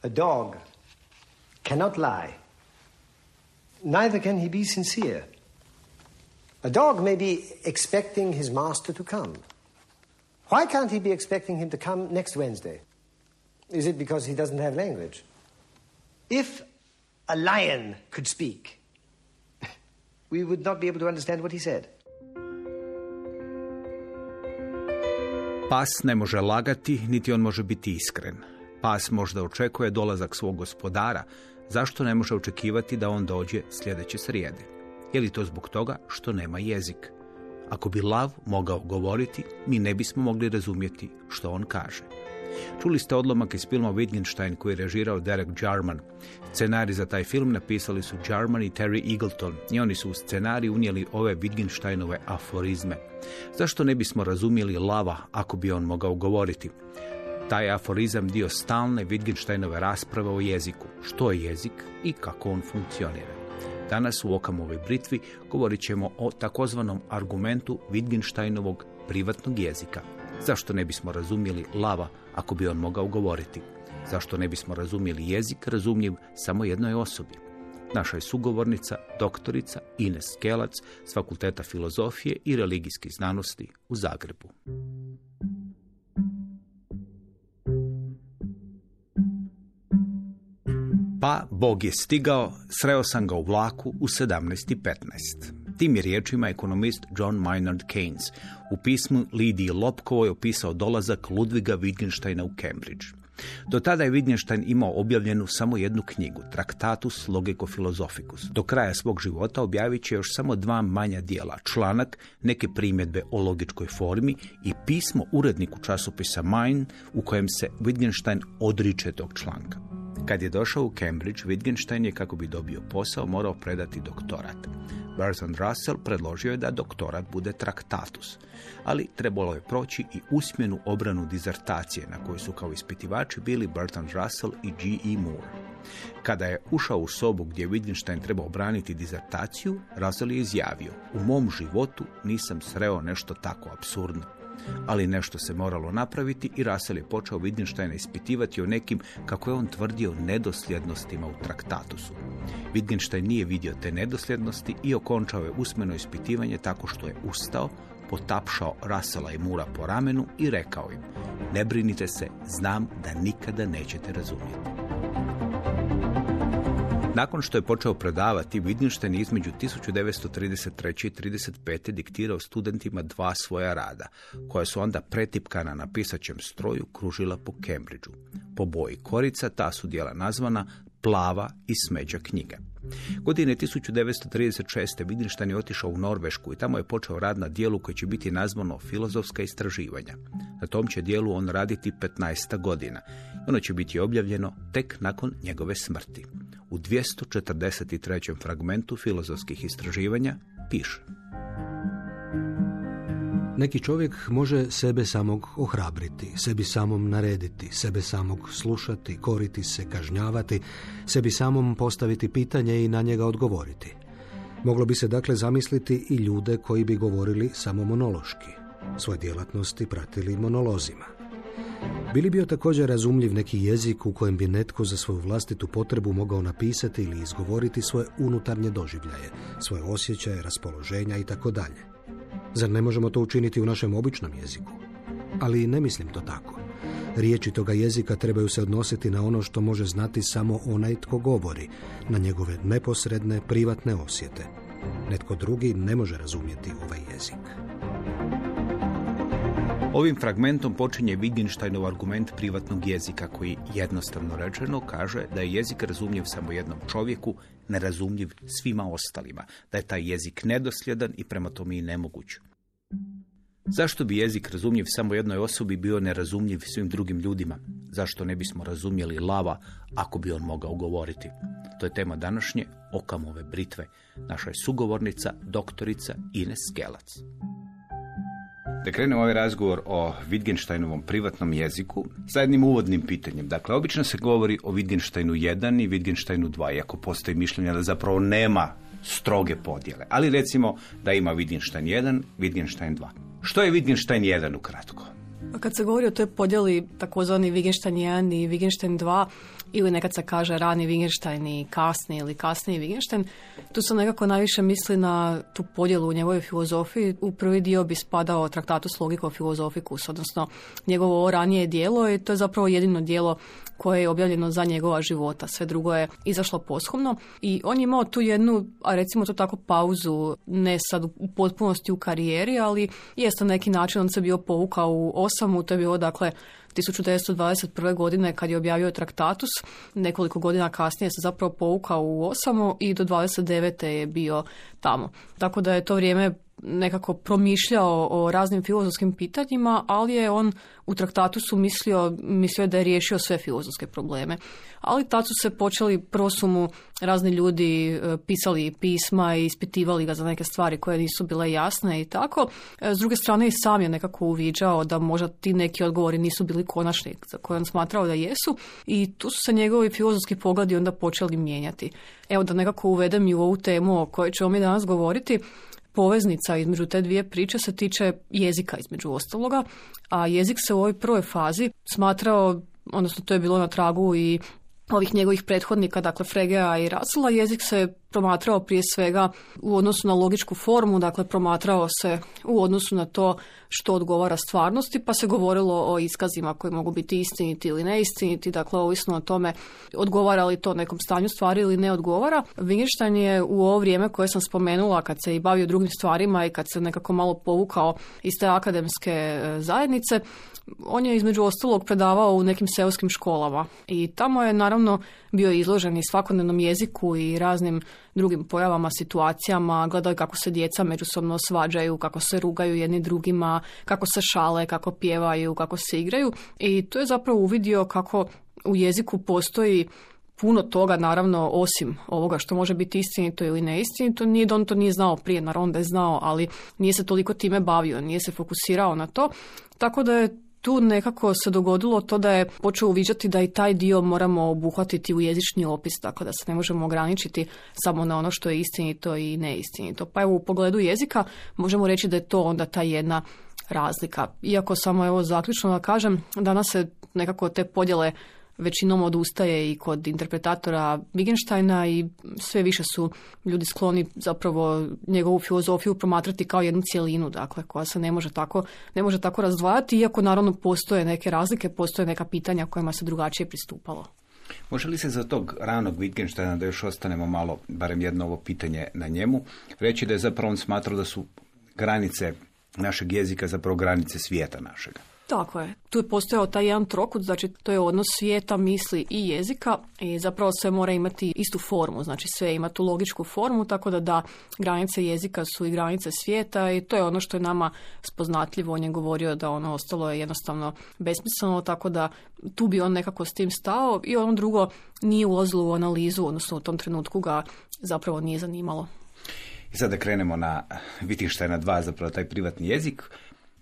A dog cannot lie. Neither can he be sincere. A dog may be expecting his master to come. Why can't he be expecting him to come next Wednesday? Is it because he doesn't have language? If a lion could speak, we would not be able to understand what he said. Pas ne može lagati, niti on može biti iskren. Pas možda očekuje dolazak svog gospodara, zašto ne može očekivati da on dođe sljedeće srijede? Je li to zbog toga što nema jezik? Ako bi lav mogao govoriti, mi ne bismo mogli razumjeti što on kaže. Čuli ste odlomak iz filma Wittgenstein koji je režirao Derek Jarman. Scenarij za taj film napisali su Jarman i Terry Eagleton i oni su u scenarij unijeli ove Wittgensteinove aforizme. Zašto ne bismo razumjeli lava ako bi on mogao govoriti? Taj aforizam dio stalne Wittgensteinove rasprave o jeziku. Što je jezik i kako on funkcionira. Danas u Okamovoj britvi govorit ćemo o takozvanom argumentu Wittgensteinovog privatnog jezika. Zašto ne bismo razumjeli lava ako bi on mogao govoriti? Zašto ne bismo razumjeli jezik razumljiv samo jednoj osobi? Naša je sugovornica, doktorica Ines Skelac s Fakulteta filozofije i religijskih znanosti u Zagrebu. Pa Bog je stigao, sreo sam ga u vlaku u 17:15. Tim je riječima ekonomist John Maynard Keynes u pismu Lidiji Lopkovoj opisao dolazak Ludviga Wittgensteina u Cambridge. Do tada je Wittgenstein imao objavljenu samo jednu knjigu, Tractatus Logico Philosophicus. Do kraja svog života objavit će još samo 2 manja dijela, članak, neke primjedbe o logičkoj formi i pismo uredniku časopisa Mind u kojem se Wittgenstein odriče tog članka. Kad je došao u Cambridge, Wittgenstein je, kako bi dobio posao, morao predati doktorat. Bertrand Russell predložio je da doktorat bude Tractatus, ali trebalo je proći i usmenu obranu dizertacije na kojoj su kao ispitivači bili Bertrand Russell i G.E. Moore. Kada je ušao u sobu gdje Wittgenstein trebao obraniti dizertaciju, Russell je izjavio: u mom životu nisam sreo nešto tako apsurdno. Ali nešto se moralo napraviti i Russell je počeo Wittgensteina ispitivati o nekim, kako je on tvrdio, nedosljednostima u Traktatusu. Wittgenstein nije vidio te nedosljednosti i okončao je usmeno ispitivanje tako što je ustao, potapšao Russella i Moora po ramenu i rekao im: ne brinite se, znam da nikada nećete razumjeti. Nakon što je počeo predavati, Wittgenstein je između 1933. i 1935. diktirao studentima 2 svoja rada, koja su onda pretipkana na pisaćem stroju kružila po Cambridgeu. Po boji korica ta su djela nazvana Plava i smeđa knjiga. Godine 1936. Wittgenstein je otišao u Norvešku i tamo je počeo rad na dijelu koje će biti nazvano Filozofska istraživanja. Na tom će dijelu on raditi 15 godina. Ono će biti objavljeno tek nakon njegove smrti. U 243. fragmentu filozofskih istraživanja piše: neki čovjek može sebe samog ohrabriti, sebi samom narediti, sebe samog slušati, koriti se, kažnjavati, sebi samom postaviti pitanje i na njega odgovoriti. Moglo bi se dakle zamisliti i ljude koji bi govorili samo monološki, svoje djelatnosti pratili monolozima. Bili bio također razumljiv neki jezik u kojem bi netko za svoju vlastitu potrebu mogao napisati ili izgovoriti svoje unutarnje doživljaje, svoje osjećaje, raspoloženja i tako dalje. Zar ne možemo to učiniti u našem običnom jeziku? Ali ne mislim to tako. Riječi toga jezika trebaju se odnositi na ono što može znati samo onaj tko govori, na njegove neposredne, privatne osjete. Netko drugi ne može razumjeti ovaj jezik. Ovim fragmentom počinje Wittgensteinov argument privatnog jezika koji, jednostavno rečeno, kaže da je jezik razumljiv samo jednom čovjeku, nerazumljiv svima ostalima, da je taj jezik nedosljedan i prema tome i nemoguć. Zašto bi jezik razumljiv samo jednoj osobi bio nerazumljiv svim drugim ljudima? Zašto ne bismo razumjeli lava ako bi on mogao govoriti? To je tema današnje Okamove britve. Naša je sugovornica, doktorica Ines Skelac. Da krenemo ovaj razgovor o Wittgensteinovom privatnom jeziku sa jednim uvodnim pitanjem. Dakle, obično se govori o Wittgensteinu 1 i Wittgensteinu 2, iako postoji mišljenje da zapravo nema stroge podjele. Ali recimo da ima Wittgenstein 1, Wittgenstein 2. Što je Wittgenstein 1 ukratko? Kad se govori o toj podjeli takozvani Wittgenstein 1 i Wittgenstein 2, ili nekad se kaže rani Wittgenstein i kasni ili kasniji Wittgenstein. Tu se nekako najviše misli na tu podjelu u njegovoj filozofiji. U prvi dio bi spadao Traktatus Logico Philosophicus, odnosno njegovo ranije djelo, i to je zapravo jedino djelo koje je objavljeno za njegova života. Sve drugo je izašlo posthumno i on je imao tu jednu, a recimo to tako, pauzu, ne sad u potpunosti u karijeri, ali jeste na neki način on se bio povukao u Osamu, to je bilo dakle 1921. godine kad je objavio Traktatus, nekoliko godina kasnije se zapravo povukao u Osamu i do 29. je bio tamo. Tako da je to vrijeme nekako promišljao o raznim filozofskim pitanjima, ali je on u Traktatusu mislio da je riješio sve filozofske probleme. Ali tad su se počeli prosumu razni ljudi, pisali pisma i ispitivali ga za neke stvari koje nisu bile jasne i tako. S druge strane i sam je nekako uviđao da možda ti neki odgovori nisu bili konačni za koje on smatrao da jesu, i tu su se njegovi filozofski pogledi onda počeli mijenjati. Evo da nekako uvedem i u ovu temu o kojoj ćemo mi danas govoriti. Poveznica između te dvije priče se tiče jezika između ostaloga, a jezik se u ovoj prvoj fazi smatrao, odnosno to je bilo na tragu i ovih njegovih prethodnika, dakle Fregea i Russella, jezik se promatrao prije svega u odnosu na logičku formu, dakle promatrao se u odnosu na to što odgovara stvarnosti, pa se govorilo o iskazima koji mogu biti istiniti ili neistiniti, dakle ovisno o tome odgovara li to nekom stanju stvari ili ne odgovara. Wittgenstein je u ovo vrijeme koje sam spomenula, kad se i bavio drugim stvarima i kad se nekako malo povukao iz te akademske zajednice, on je između ostalog predavao u nekim seoskim školama i tamo je naravno bio izložen i svakodnevnom jeziku i raznim drugim pojavama, situacijama, gledao je kako se djeca međusobno svađaju, kako se rugaju jedni drugima, kako se šale, kako pjevaju, kako se igraju, i to je zapravo uvidio kako u jeziku postoji puno toga, naravno, osim ovoga što može biti istinito ili neistinito. Nije da on to nije znao prije, naravno da je znao, ali nije se toliko time bavio, nije se fokusirao na to, tako da je tu nekako se dogodilo to da je počeo uviđati da i taj dio moramo obuhvatiti u jezični opis, tako da se ne možemo ograničiti samo na ono što je istinito i neistinito. Pa evo, u pogledu jezika možemo reći da je to onda ta jedna razlika. Iako samo evo zaključno da kažem, danas se nekako te podjele većinom odustaje i kod interpretatora Wittgensteina i sve više su ljudi skloni zapravo njegovu filozofiju promatrati kao jednu cjelinu, dakle, koja se ne može tako razdvajati, iako naravno postoje neke razlike, postoje neka pitanja kojima se drugačije pristupalo. Može li se za tog ranog Wittgensteina, da još ostanemo malo, barem jedno ovo pitanje na njemu, reći da je zapravo on smatrao da su granice našeg jezika zapravo granice svijeta našega? Tako je. Tu je postojao taj jedan trokut, znači to je odnos svijeta, misli i jezika, i zapravo sve mora imati istu formu, znači sve ima tu logičku formu, tako da granice jezika su i granice svijeta, i to je ono što je nama spoznatljivo. On je govorio da ono ostalo je jednostavno besmisleno, tako da tu bi on nekako s tim stao, i ono drugo nije ulazilo u analizu, odnosno u tom trenutku ga zapravo nije zanimalo. I sada krenemo na Wittgensteina 2, zapravo taj privatni jezik.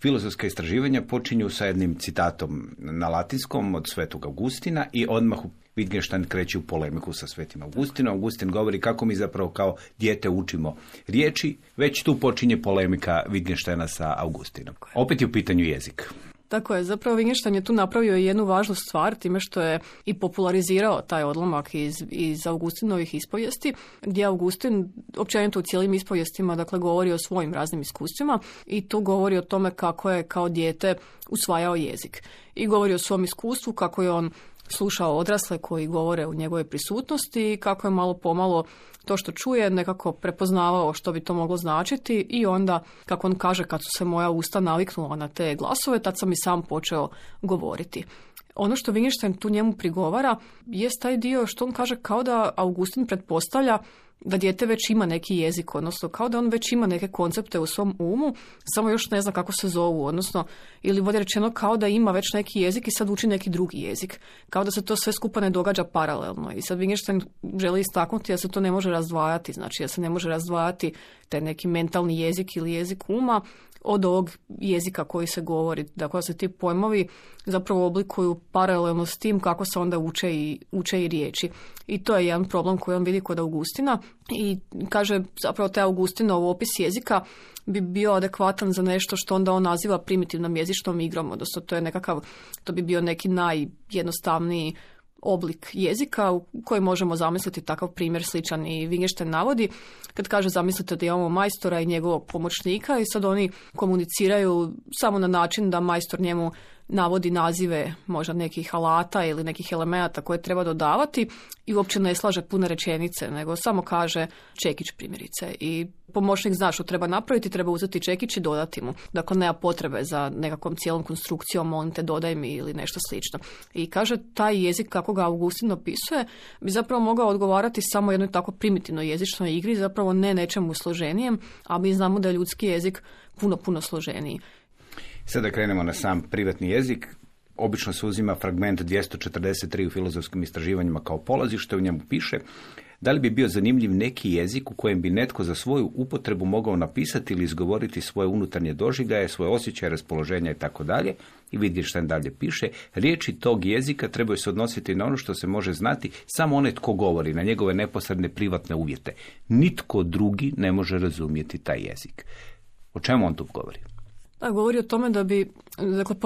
Filozofska istraživanja počinju sa jednim citatom na latinskom od Svetog Augustina i odmah Wittgenstein kreće u polemiku sa Svetim Augustinom. Augustin govori kako mi zapravo kao dijete učimo riječi, već tu počinje polemika Wittgensteina sa Augustinom. Opet je u pitanju jezik. Tako je, zapravo Wittgenstein je tu napravio jednu važnu stvar time što je i popularizirao taj odlomak iz Augustinovih ispovijesti, gdje Augustin općenito u cijelim ispovijestima, dakle, govori o svojim raznim iskustvima, i tu govori o tome kako je kao dijete usvajao jezik. I govori o svom iskustvu, kako je on slušao odrasle koji govore u njegove prisutnosti i kako je malo pomalo to što čuje nekako prepoznavao što bi to moglo značiti, i onda, kako on kaže, kad su se moja usta naviknula na te glasove, tad sam i sam počeo govoriti. Ono što Wittgenstein tu njemu prigovara jest taj dio što on kaže kao da Augustin pretpostavlja da dijete već ima neki jezik, odnosno kao da on već ima neke koncepte u svom umu, samo još ne zna kako se zovu, odnosno, ili bolje rečeno, kao da ima već neki jezik i sad uči neki drugi jezik. Kao da se to sve skupa ne događa paralelno. I sad Wittgenstein želi istaknuti da se to ne može razdvajati, znači da se ne može razdvajati taj neki mentalni jezik ili jezik uma od ovog jezika koji se govori. Dakle, se ti pojmovi zapravo oblikuju paralelno s tim kako se onda uče i riječi. I to je jedan problem koji on vidi kod Augustina, i kaže zapravo taj Augustinov opis jezika bi bio adekvatan za nešto što onda on naziva primitivnom jezičnom igrom, odnosno to bi bio neki najjednostavniji oblik jezika u koji možemo zamisliti takav primjer sličan i Wittgenstein navodi. Kad kaže zamislite da imamo majstora i njegovog pomoćnika i sad oni komuniciraju samo na način da majstor njemu navodi nazive možda nekih alata ili nekih elemenata koje treba dodavati i uopće ne slaže pune rečenice, nego samo kaže čekić primjerice. I pomoćnik zna što treba napraviti, treba uzeti čekić i dodati mu. Dakle, nema potrebe za nekakvom cijelom konstrukcijom, molim te dodaj mi ili nešto slično. I kaže, taj jezik kako ga Augustin opisuje bi zapravo mogao odgovarati samo jednoj tako primitivnoj jezičnoj igri, zapravo ne nečemu složenijem, a mi znamo da je ljudski jezik puno složeniji. Sada krenemo na sam privatni jezik. Obično se uzima fragment 243 u filozofskim istraživanjima kao polazište, u njemu piše: da li bi bio zanimljiv neki jezik u kojem bi netko za svoju upotrebu mogao napisati ili izgovoriti svoje unutarnje doživljaje, svoje osjećaje, raspoloženja i tako dalje. I vidite što dalje piše: riječi tog jezika trebaju se odnositi na ono što se može znati samo onaj tko govori, na njegove neposredne privatne uvjete. Nitko drugi ne može razumjeti taj jezik. O čemu on tu govori? Govori o tome da bi, dakle,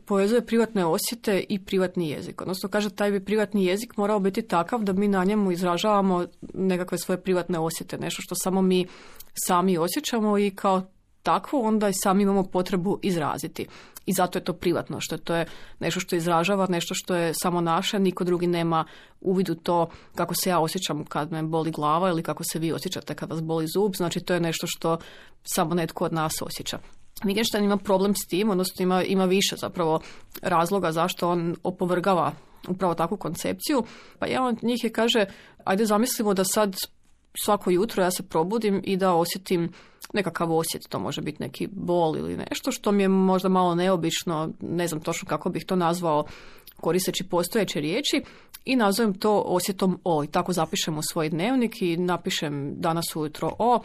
povezuje privatne osjete i privatni jezik. Odnosno, kaže, taj bi privatni jezik morao biti takav da mi na njemu izražavamo nekakve svoje privatne osjete, nešto što samo mi sami osjećamo i kao takvo onda i sami imamo potrebu izraziti. I zato je to privatno, što to je nešto što izražava, nešto što je samo naše, niko drugi nema uvid u to kako se ja osjećam kad me boli glava ili kako se vi osjećate kad vas boli zub, znači to je nešto što samo netko od nas osjeća. Wittgenstein ima problem s tim, odnosno ima više zapravo razloga zašto on opovrgava upravo takvu koncepciju. Pa jedan od njih je, kaže, ajde zamislimo da sad svako jutro ja se probudim i da osjetim nekakav osjet, to može biti neki bol ili nešto što mi je možda malo neobično, ne znam točno kako bih to nazvao koristeći postojeće riječi, i nazovem to osjetom O. I tako zapišem u svoj dnevnik i napišem danas ujutro O,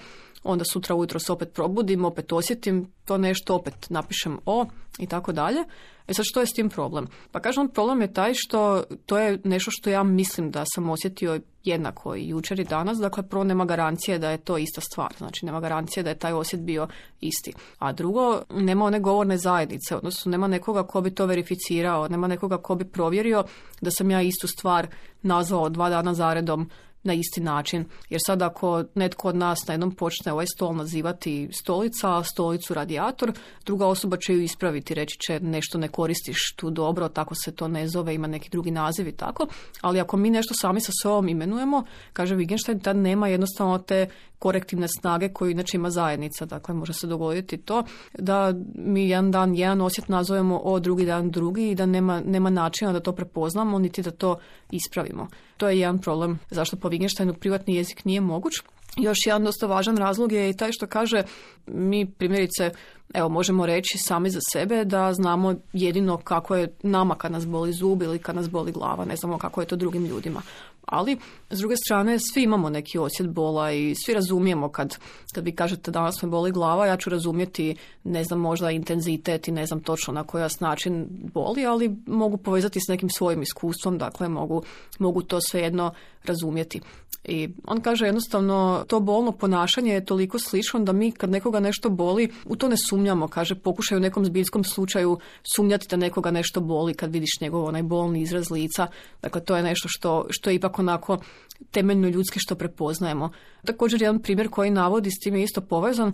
onda sutra ujutro se opet probudim, opet osjetim to nešto, opet napišem O i tako dalje. E sad, što je s tim problem? Pa kažem, problem je taj što to je nešto što ja mislim da sam osjetio jednako i jučer i danas, dakle prvo nema garancije da je to ista stvar, znači nema garancije da je taj osjet bio isti. A drugo, nema one govorne zajednice, odnosno nema nekoga ko bi to verificirao, nema nekoga ko bi provjerio da sam ja istu stvar nazvao 2 dana zaredom na isti način. Jer sad ako netko od nas na jednom počne ovaj stol nazivati stolica, a stolicu radijator, druga osoba će ju ispraviti, reći će nešto ne koristiš tu dobro, tako se to ne zove, ima neki drugi naziv i tako. Ali ako mi nešto sami sa sobom imenujemo, kaže Wittgenstein, tad nema jednostavno te korektivne snage koju inače ima zajednica. Dakle, može se dogoditi to da mi jedan dan jedan osjet nazovemo O, drugi dan drugi i da nema načina da to prepoznamo, niti da to ispravimo. To je jedan problem zašto po Wittgensteinu privatni jezik nije moguć. Još jedan dosta važan razlog je i taj što kaže, mi primjerice, evo, možemo reći sami za sebe da znamo jedino kako je nama kad nas boli zub ili kad nas boli glava, ne znamo kako je to drugim ljudima. Ali, s druge strane, svi imamo neki osjet bola i svi razumijemo kad vi kažete danas me boli glava, ja ću razumjeti, ne znam, možda intenzitet i ne znam točno na koji način boli, ali mogu povezati s nekim svojim iskustvom, dakle mogu to svejedno razumjeti. I on kaže jednostavno, to bolno ponašanje je toliko slično da mi kad nekoga nešto boli, u to ne sumnjamo, kaže, pokušaj u nekom zbiljskom slučaju sumnjati da nekoga nešto boli kad vidiš njegov onaj bolni izraz lica. Dakle, to je nešto što je ipak onako temeljno ljudski što prepoznajemo. Također jedan primjer koji navodi s tim je isto povezan.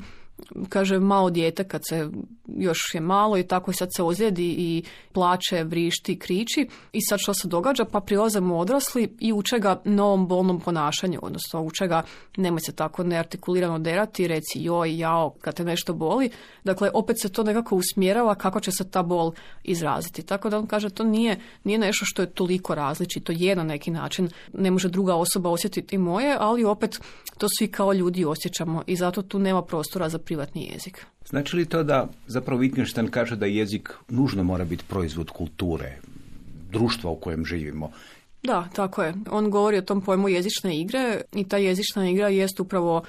Kaže, malo dijete kad se još je malo i tako sad se ozlijedi i plače, vrišti, kriči i sad što se događa, pa prilaze mu odrasli i uče ga novom bolnom ponašanju, odnosno uče ga nemoj se tako neartikulirano derati, reci joj, jao kad te nešto boli. Dakle, opet se to nekako usmjerava kako će se ta bol izraziti. Tako da on kaže, to nije nešto što je toliko različito, je na neki način, ne može druga osoba osjetiti moje, ali opet to svi kao ljudi osjećamo i zato tu nema prostora za privatni jezik. Znači li to da zapravo Wittgenstein kaže da jezik nužno mora biti proizvod kulture, društva u kojem živimo? Da, tako je. On govori o tom pojmu jezične igre i ta jezična igra jest upravo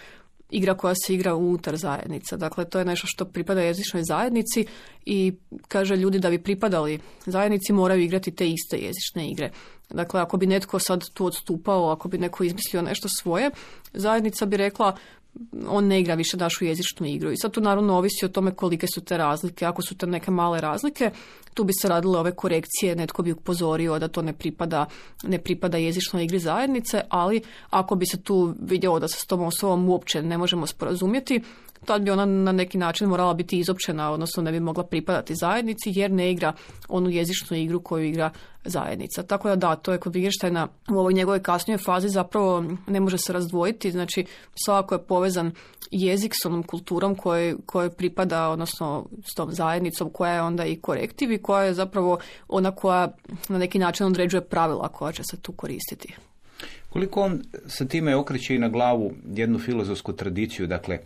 igra koja se igra unutar zajednica. Dakle, to je nešto što pripada jezičnoj zajednici i kaže ljudi da bi pripadali zajednici moraju igrati te iste jezične igre. Dakle, ako bi netko sad tu odstupao, ako bi neko izmislio nešto svoje, zajednica bi rekla on ne igra više našu jezičnu igru. I sad tu naravno ovisi o tome kolike su te razlike. Ako su te neke male razlike, tu bi se radile ove korekcije, netko bi upozorio da to ne pripada jezičnoj igri zajednice, ali ako bi se tu vidjelo da se s tom osobom uopće ne možemo sporazumjeti, tad bi ona na neki način morala biti izopćena, odnosno ne bi mogla pripadati zajednici jer ne igra onu jezičnu igru koju igra zajednica. Tako da, to je kod Wittgensteina u ovoj njegovoj kasnijoj fazi zapravo ne može se razdvojiti, znači svakako je povezan jezik s onom kulturom koje pripada, odnosno s tom zajednicom koja je onda i korektiv i koja je zapravo ona koja na neki način određuje pravila koja će se tu koristiti. Koliko on sa time okreće i na glavu jednu filozofsku tradiciju, dakle,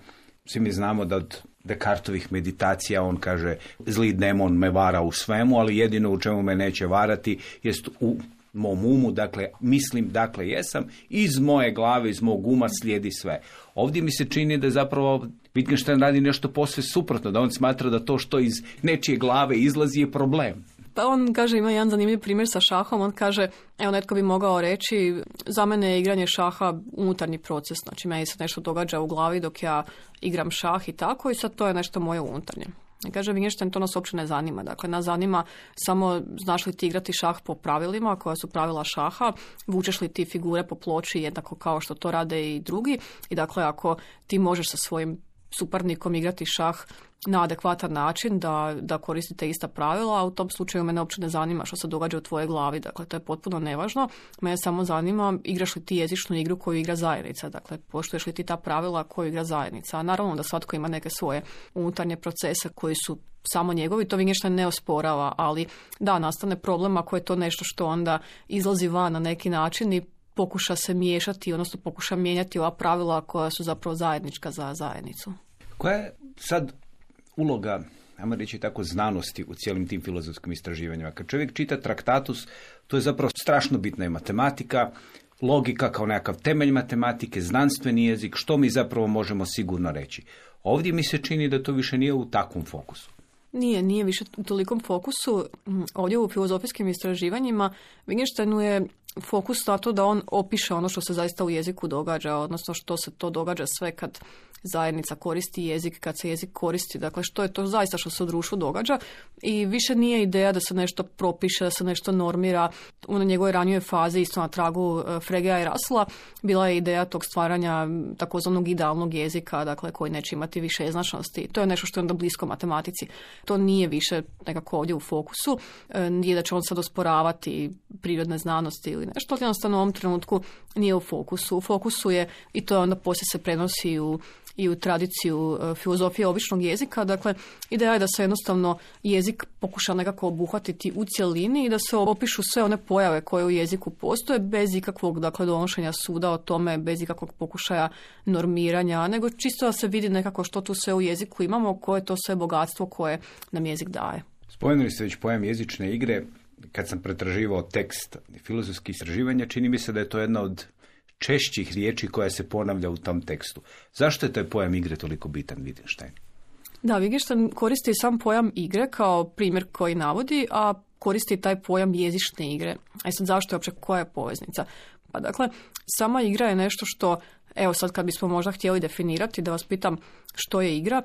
svi mi znamo da od Descartovih meditacija on kaže zli demon me vara u svemu, ali jedino u čemu me neće varati jest u mom umu, dakle mislim, dakle jesam, iz moje glave, iz mog uma slijedi sve. Ovdje mi se čini da zapravo Wittgenstein radi nešto posve suprotno, da on smatra da to što iz nečije glave izlazi je problem. Pa on kaže, ima jedan zanimljiv primjer sa šahom, on kaže, evo netko bi mogao reći, za mene je igranje šaha unutarnji proces, znači meni se nešto događa u glavi dok ja igram šah i tako i sad to je nešto moje unutarnje. I kaže Wittgenstein, to nas uopće ne zanima, dakle nas zanima samo znaš li ti igrati šah po pravilima, koja su pravila šaha, vučeš li ti figure po ploči jednako kao što to rade i drugi i dakle ako ti možeš sa svojim suparnikom igrati šah na adekvatan način, da koristite ista pravila, a u tom slučaju mene uopće ne zanima što se događa u tvojoj glavi, dakle to je potpuno nevažno, mene samo zanima igraš li ti jezičnu igru koju igra zajednica, dakle poštuješ li ti ta pravila koju igra zajednica, a naravno da svatko ima neke svoje unutarnje procese koji su samo njegovi, to Wittgenstein ne osporava, ali da, nastane problem ako je to nešto što onda izlazi van na neki način i pokuša se miješati, odnosno pokuša mijenjati ova pravila koja su zapravo zajednička za zajednicu. Koja je sad uloga, ajmo reći tako, znanosti u cijelim tim filozofskim istraživanjima? Kad čovjek čita Traktatus, to je zapravo strašno bitna je matematika, logika kao nekakav temelj matematike, znanstveni jezik, što mi zapravo možemo sigurno reći. Ovdje mi se čini da to više nije u takvom fokusu. Nije više u tolikom fokusu. Ovdje u filozofijskim istraživanjima Wittgensteinu je fokus na to da on opiše ono što se zaista u jeziku događa, odnosno što se to događa sve kad zajednica koristi jezik, kad se jezik koristi, dakle što je to zaista što se u društvu događa i više nije ideja da se nešto propiše, da se nešto normira. U njegovoj ranijoj fazi, isto na tragu Fregea i Russella, bila je ideja tog stvaranja takozvanog idealnog jezika, dakle koji neće imati više jednoznačnosti. To je nešto što je onda blisko matematici. To nije više nekako ovdje u fokusu, nije da će on sad osporavati prirodne znanosti ili nešto, ali jednostavno u ovom trenutku nije u fokusu. U fokusu je, i to onda poslije se prenosi i u tradiciju filozofije običnog jezika. Dakle, ideja je da se jednostavno jezik pokuša nekako obuhvatiti u cjelini i da se opišu sve one pojave koje u jeziku postoje bez ikakvog, dakle, donošenja suda o tome, bez ikakvog pokušaja normiranja, nego čisto da se vidi nekako što tu sve u jeziku imamo, koje je to sve bogatstvo koje nam jezik daje. Spomenuli ste već pojam jezične igre. Kad sam pretraživao tekst filozofskih istraživanja, čini mi se da je to jedna od češćih riječi koja se ponavlja u tom tekstu. Zašto je taj pojam igre toliko bitan, Wittgenstein? Da, Wittgenstein koristi sam pojam igre kao primjer koji navodi, a koristi taj pojam jezične igre. A sad zašto je uopće, koja je poveznica? Pa dakle, sama igra je nešto što, evo sad kad bismo možda htjeli definirati, da vas pitam što je igra,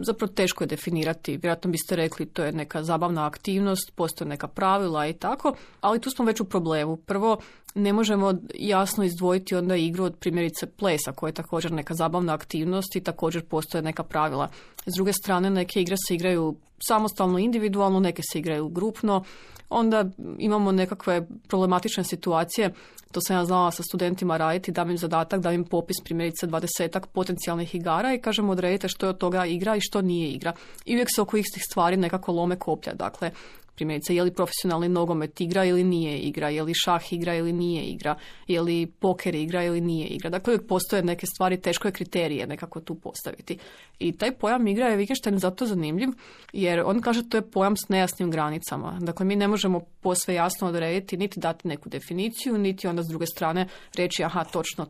zapravo teško je definirati. Vjerojatno biste rekli to je neka zabavna aktivnost, postoje neka pravila i tako, ali tu smo već u problemu. Prvo, ne možemo jasno izdvojiti onda igru od primjerice plesa, koja je također neka zabavna aktivnost i također postoje neka pravila. S druge strane, neke igre se igraju samostalno, individualno, neke se igraju grupno. Onda imamo nekakve problematične situacije, to sam ja znala sa studentima raditi, dam im zadatak, dam im popis primjerice 20 potencijalnih igara i kažem odredite što je od toga igra i što nije igra. I uvijek se oko istih stvari nekako lome koplja, dakle primjerice je li profesionalni nogomet igra ili nije igra, je li šah igra ili nije igra, je li poker igra ili nije igra. Dakle, uvijek postoje neke stvari, teško je kriterije nekako tu postaviti. I taj pojam igra je Wittgenstein zato zanimljiv, jer on kaže to je pojam s nejasnim granicama. Dakle, mi ne možemo posve jasno odrediti, niti dati neku definiciju, niti onda s druge strane reći aha, točno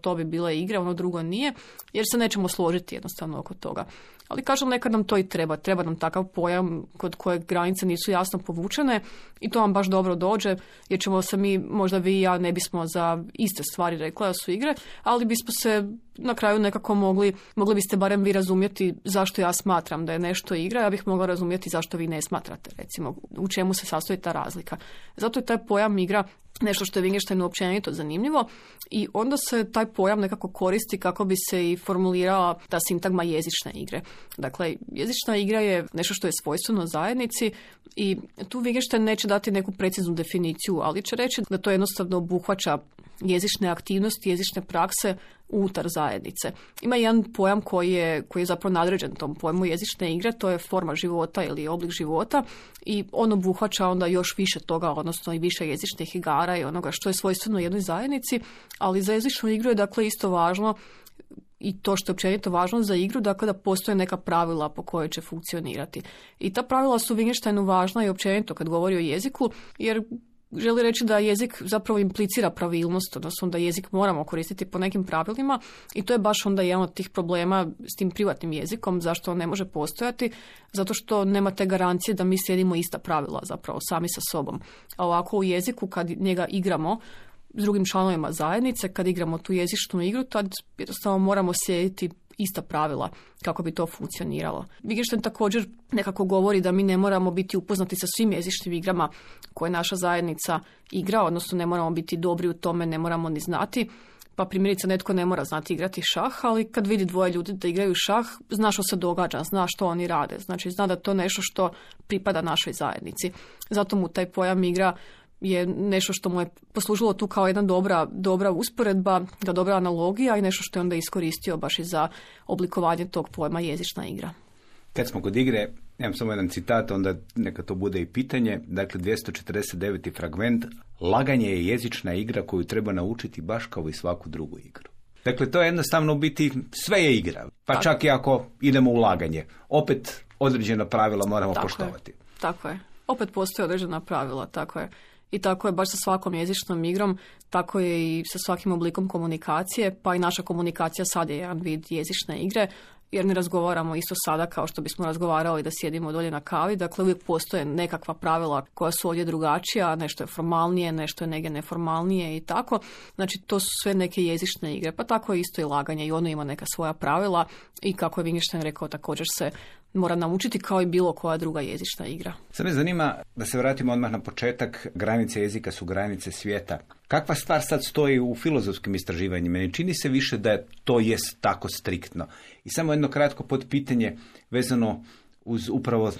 to bi bila igra, ono drugo nije, jer se nećemo složiti jednostavno oko toga. Ali kažem, nekad nam to i treba nam takav pojam kod kojeg granice nisu jasno povučene i to vam baš dobro dođe, jer ćemo se mi, možda vi i ja ne bismo za iste stvari rekla da su igre, ali bismo se na kraju nekako mogli biste barem vi razumjeti zašto ja smatram da je nešto igra, ja bih mogla razumjeti zašto vi ne smatrate, recimo, u čemu se sastoji ta razlika. Zato je taj pojam igra nešto što je Wittgensteinu općenito zanimljivo i onda se taj pojam nekako koristi kako bi se i formulirala ta sintagma jezične igre. Dakle, jezična igra je nešto što je svojstveno zajednici i tu Wittgenstein neće dati neku preciznu definiciju, ali će reći da to jednostavno obuhvaća jezične aktivnosti, jezične prakse unutar zajednice. Ima jedan pojam koji je zapravo nadređen tom pojmu jezične igre, to je forma života ili oblik života i on obuhvaća onda još više toga, odnosno i više jezičnih igara i onoga što je svojstveno jednoj zajednici, ali za jezičnu igru je dakle isto važno i to što je općenito važno za igru, dakle da postoje neka pravila po kojoj će funkcionirati. I ta pravila su Wittgensteinu važna i općenito kad govori o jeziku, jer želi reći da jezik zapravo implicira pravilnost, odnosno da jezik moramo koristiti po nekim pravilima i to je baš onda jedan od tih problema s tim privatnim jezikom, zašto on ne može postojati, zato što nema te garancije da mi slijedimo ista pravila zapravo sami sa sobom. A ovako u jeziku kad njega igramo s drugim članovima zajednice, kad igramo tu jezičnu igru, tad jednostavno moramo slijediti ista pravila kako bi to funkcioniralo. Wittgenstein također nekako govori da mi ne moramo biti upoznati sa svim jezičnim igrama koje naša zajednica igra, odnosno ne moramo biti dobri u tome, ne moramo ni znati. Pa primjerice netko ne mora znati igrati šah, ali kad vidi dvoje ljudi da igraju šah, zna što se događa, zna što oni rade. Znači zna da to nešto što pripada našoj zajednici. Zato mu taj pojam igra je nešto što mu je poslužilo tu kao jedna dobra usporedba, dobra analogija i nešto što je onda iskoristio baš i za oblikovanje tog pojma jezična igra. Kad smo kod igre, imam samo jedan citat, onda neka to bude i pitanje. Dakle, 249. fragment. Laganje je jezična igra koju treba naučiti baš kao i svaku drugu igru. Dakle, to je jednostavno biti, sve je igra. Pa tako. Čak i ako idemo u laganje. Opet određena pravila moramo poštovati. Tako je. Opet postoje određena pravila, tako je. I tako je baš sa svakom jezičnom igrom, tako je i sa svakim oblikom komunikacije, pa i naša komunikacija sad je jedan vid jezične igre, jer ne razgovaramo isto sada kao što bismo razgovarali da sjedimo dolje na kavi, dakle uvijek postoje nekakva pravila koja su ovdje drugačija, nešto je formalnije, nešto je negdje neformalnije i tako. Znači to su sve neke jezične igre, pa tako je isto i laganje i ono ima neka svoja pravila i kako je Wittgenstein rekao također se mora naučiti kao i bilo koja druga jezična igra. Sad me zanima, da se vratimo odmah na početak, granice jezika su granice svijeta. Kakva stvar sad stoji u filozofskim istraživanjima? Ne čini se više da to jest tako striktno. I samo jedno kratko potpitanje vezano uz upravo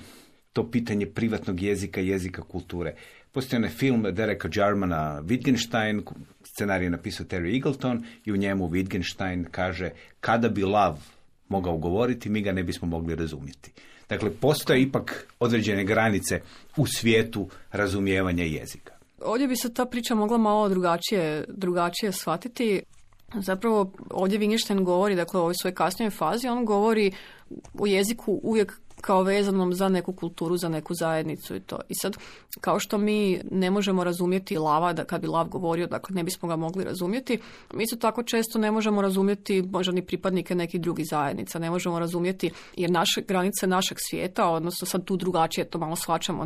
to pitanje privatnog jezika, jezika kulture. Postoji onaj film Dereka Jarmana Wittgenstein, scenarij je napisao Terry Eagleton i u njemu Wittgenstein kaže kada bi lav mogao govoriti, mi ga ne bismo mogli razumjeti. Dakle, postoje ipak određene granice u svijetu razumijevanja jezika. Ovdje bi se ta priča mogla malo drugačije shvatiti. Zapravo, ovdje Wittgenstein govori, dakle, u ovoj svojoj kasnijoj fazi, on govori o jeziku uvijek kao vezanom za neku kulturu, za neku zajednicu i to. I sad, kao što mi ne možemo razumjeti lava, da kad bi lav govorio, dakle ne bismo ga mogli razumjeti, mi isto tako često ne možemo razumjeti možda ni pripadnike nekih drugih zajednica, ne možemo razumjeti jer naše granice našeg svijeta, odnosno sad tu drugačije to malo shvaćamo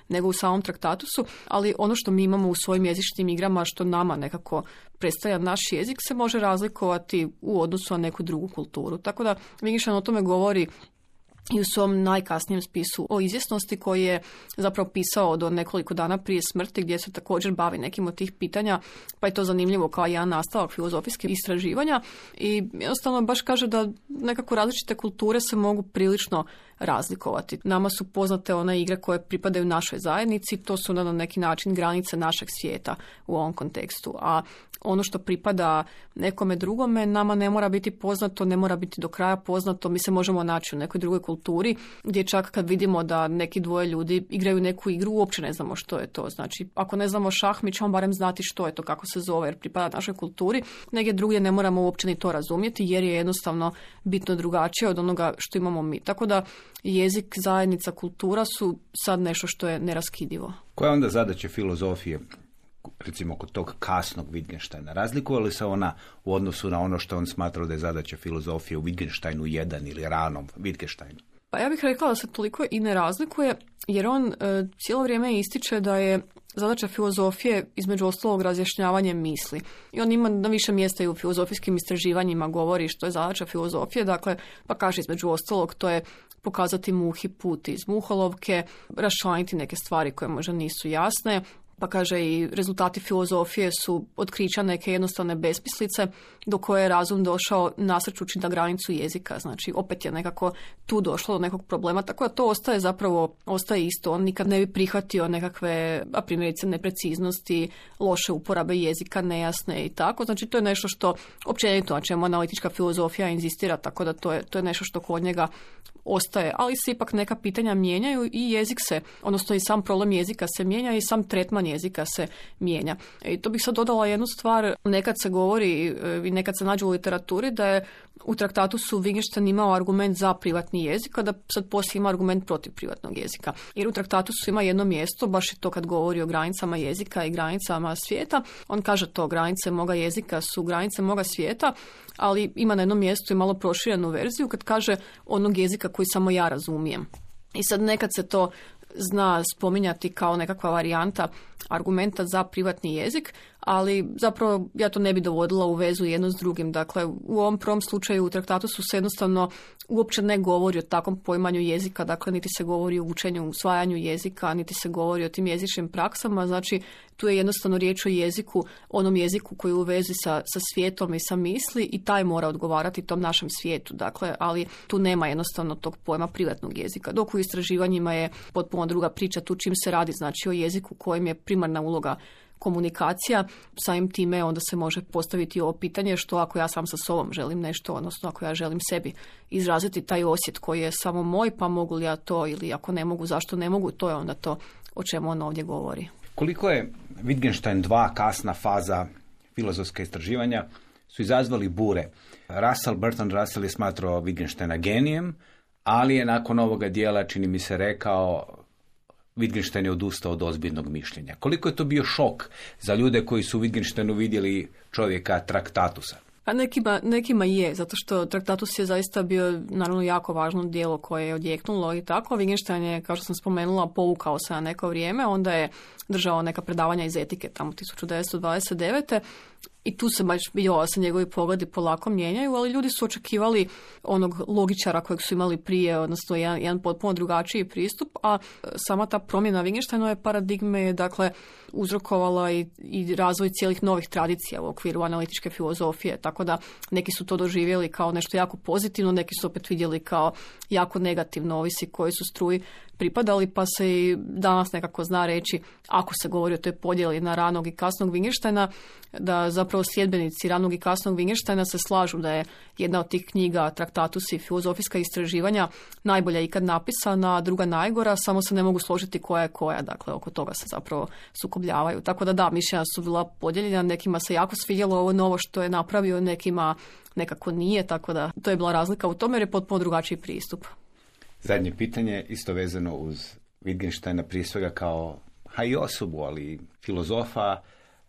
nego u samom traktatu su, ali ono što mi imamo u svojim jezičnim igrama, što nama nekako predstavlja naš jezik, se može razlikovati u odnosu na neku drugu kulturu. Tako da Wittgenstein o tome govori i u svom najkasnijem spisu o izvjesnosti koji je zapravo pisao do nekoliko dana prije smrti gdje se također bavi nekim od tih pitanja, pa je to zanimljivo kao jedan nastavak filozofijskih istraživanja i jednostavno baš kaže da nekako različite kulture se mogu prilično razlikovati. Nama su poznate one igre koje pripadaju našoj zajednici, to su na neki način granice našeg svijeta u ovom kontekstu, a ono što pripada nekome drugome nama ne mora biti poznato, ne mora biti do kraja poznato, mi se možemo naći u nekoj drugoj kulturi gdje čak kad vidimo da neki dvoje ljudi igraju neku igru, uopće ne znamo što je to. Znači, ako ne znamo šah, mi ćemo barem znati što je to, kako se zove, jer pripada našoj kulturi. Negdje drugdje ne moramo uopće ni to razumjeti, jer je jednostavno bitno drugačije od onoga što imamo mi. Tako da jezik, zajednica, kultura su sad nešto što je neraskidivo. Koja je onda zadaća filozofije, recimo kod tog kasnog Wittgensteina? Razlikuje li se ona u odnosu na ono što on smatrao da je zadaća filozofije u Wittgensteinu 1 ili ranom Wittgensteinu? Pa ja bih rekla da se toliko i ne razlikuje, jer on cijelo vrijeme ističe da je zadaća filozofije između ostalog razjašnjavanje misli. I on ima na više mjesta i u filozofijskim istraživanjima govori što je zadaća filozofije, dakle, pa kaže između ostalog to je pokazati muhi put iz muholovke, raščlaniti neke stvari koje možda nisu jasne, pa kaže i rezultati filozofije su otkrića neke jednostavne besmislice do koje je razum došao nasrćući na granicu jezika. Znači, opet je nekako tu došlo do nekog problema, tako da to ostaje isto. On nikad ne bi prihvatio nekakve, a primjerice, nepreciznosti, loše uporabe jezika, nejasne i tako. Znači, to je nešto što općenito, na čemu analitička filozofija inzistira, tako da to je nešto što kod njega ostaje, ali se ipak neka pitanja mijenjaju i jezik se, odnosno i sam problem jezika se mijenja i sam tretman jezika se mijenja. I to bih sad dodala jednu stvar, nekad se govori i nekad se nađe u literaturi da je u traktatu su Wittgenstein imao argument za privatni jezik, a da sad poslije ima argument protiv privatnog jezika. Jer u traktatu su ima jedno mjesto, baš je to kad govori o granicama jezika i granicama svijeta, on kaže to, granice moga jezika su granice moga svijeta, ali ima na jednom mjestu i malo proširenu verziju kad kaže onog jezika koji samo ja razumijem. I sad nekad se to zna spominjati kao nekakva varijanta argumenta za privatni jezik, ali zapravo ja to ne bi dovodila u vezu jedno s drugim. Dakle, u ovom prvom slučaju u traktatu su se jednostavno uopće ne govori o takvom poimanju jezika, dakle niti se govori o učenju, usvajanju jezika, niti se govori o tim jezičnim praksama, znači tu je jednostavno riječ o jeziku, onom jeziku koji je u vezi sa svijetom i sa misli i taj mora odgovarati tom našem svijetu, dakle, ali tu nema jednostavno tog pojma privatnog jezika, dok u istraživanjima je potpuno druga priča, tu čim se radi, znači o jeziku kojem je primarna uloga komunikacija, samim time onda se može postaviti ovo pitanje što ako ja sam sa sobom želim nešto, odnosno ako ja želim sebi izraziti taj osjet koji je samo moj, pa mogu li ja to ili ako ne mogu, zašto ne mogu, to je onda to o čemu on ovdje govori. Koliko je Wittgenstein 2 kasna faza filozofska istraživanja su izazvali bure. Bertrand Russell je smatrao Wittgensteina genijem, ali je nakon ovoga dijela, čini mi se, rekao Wittgenstein je odustao od ozbiljnog mišljenja. Koliko je to bio šok za ljude koji su u Wittgensteinu vidjeli čovjeka Traktatusa? A nekima je, zato što Traktatus je zaista bio naravno jako važno djelo koje je odjeknulo i tako. Wittgenstein je, kao što sam spomenula, povukao se na neko vrijeme, onda je držao neka predavanja iz etike tamo 1929. I tu se baš vidjelo da se njegovi pogledi polako mijenjaju, ali ljudi su očekivali onog logičara kojeg su imali prije, odnosno jedan potpuno drugačiji pristup, a sama ta promjena Wittgensteinove paradigme je dakle uzrokovala i razvoj cijelih novih tradicija u okviru analitičke filozofije, tako da neki su to doživjeli kao nešto jako pozitivno, neki su opet vidjeli kao jako negativno, ovisi koji su struji pripadali, pa se i danas nekako zna reći, ako se govori o toj podjeli na ranog i kasnog Wittgensteina, da zapravo sljedbenici ranog i kasnog Wittgensteina se slažu da je jedna od tih knjiga, Traktatus i filozofijska istraživanja, najbolja ikad napisana, a druga najgora, samo se ne mogu složiti koja je koja, dakle oko toga se zapravo sukobljavaju. Tako da mišljenja su bila podijeljena, nekima se jako svidjelo ovo novo što je napravio, nekima nekako nije, tako da to je bila razlika u tome jer je potpuno drugačiji pristup. Zadnje pitanje, isto vezano uz Wittgensteina, prije svega kao i osobu, ali filozofa.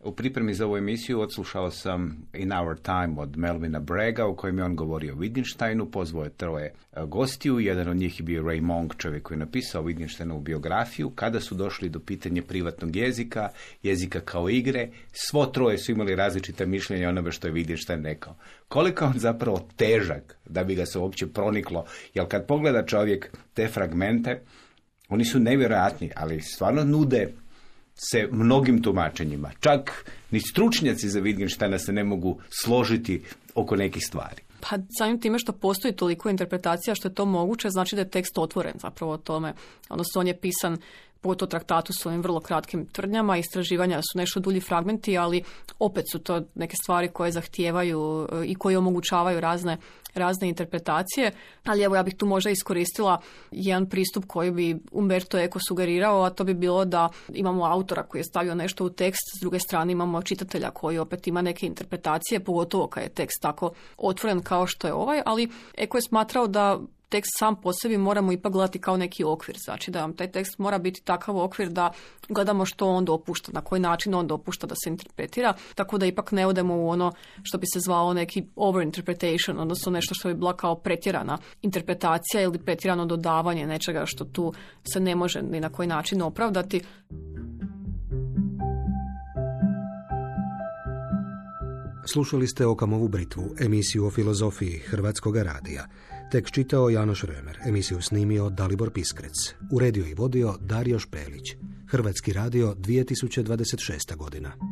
U pripremi za ovu emisiju odslušao sam In Our Time od Melvina Bragga, u kojem je on govorio o Wittgensteinu, pozvao je 3 gostiju, jedan od njih je bio Ray Monk, čovjek koji je napisao Wittgensteinovu biografiju. Kada su došli do pitanja privatnog jezika, jezika kao igre, svo 3 su imali različita mišljenja onome što je Wittgenstein rekao. Koliko on zapravo težak da bi ga se uopće proniklo, jer kad pogleda čovjek te fragmente, oni su nevjerojatni, ali stvarno nude se mnogim tumačenjima. Čak ni stručnjaci za Wittgensteina se ne mogu složiti oko nekih stvari. Pa samim time što postoji toliko interpretacija što je to moguće, znači da je tekst otvoren zapravo o tome. Odnosno on je pisan pogotovo Traktatu s ovim vrlo kratkim tvrdnjama, istraživanja su nešto dulji fragmenti, ali opet su to neke stvari koje zahtijevaju i koje omogućavaju razne interpretacije. Ali evo ja bih tu možda iskoristila jedan pristup koji bi Umberto Eco sugerirao, a to bi bilo da imamo autora koji je stavio nešto u tekst, s druge strane imamo čitatelja koji opet ima neke interpretacije, pogotovo kad je tekst tako otvoren kao što je ovaj, ali Eco je smatrao da tekst sam po sebi moramo ipak gledati kao neki okvir. Znači da vam taj tekst mora biti takav okvir da gledamo što on dopušta, na koji način on dopušta da se interpretira, tako da ipak ne odemo u ono što bi se zvalo neki overinterpretation, odnosno nešto što bi bila kao pretjerana interpretacija ili pretjerano dodavanje nečega što tu se ne može ni na koji način opravdati. Slušali ste Okamovu britvu, emisiju o filozofiji Hrvatskog radija. Tekst čitao Janoš Römer, emisiju snimio Dalibor Piskrec. Uredio i vodio Dario Špelić. Hrvatski radio 2026. godina.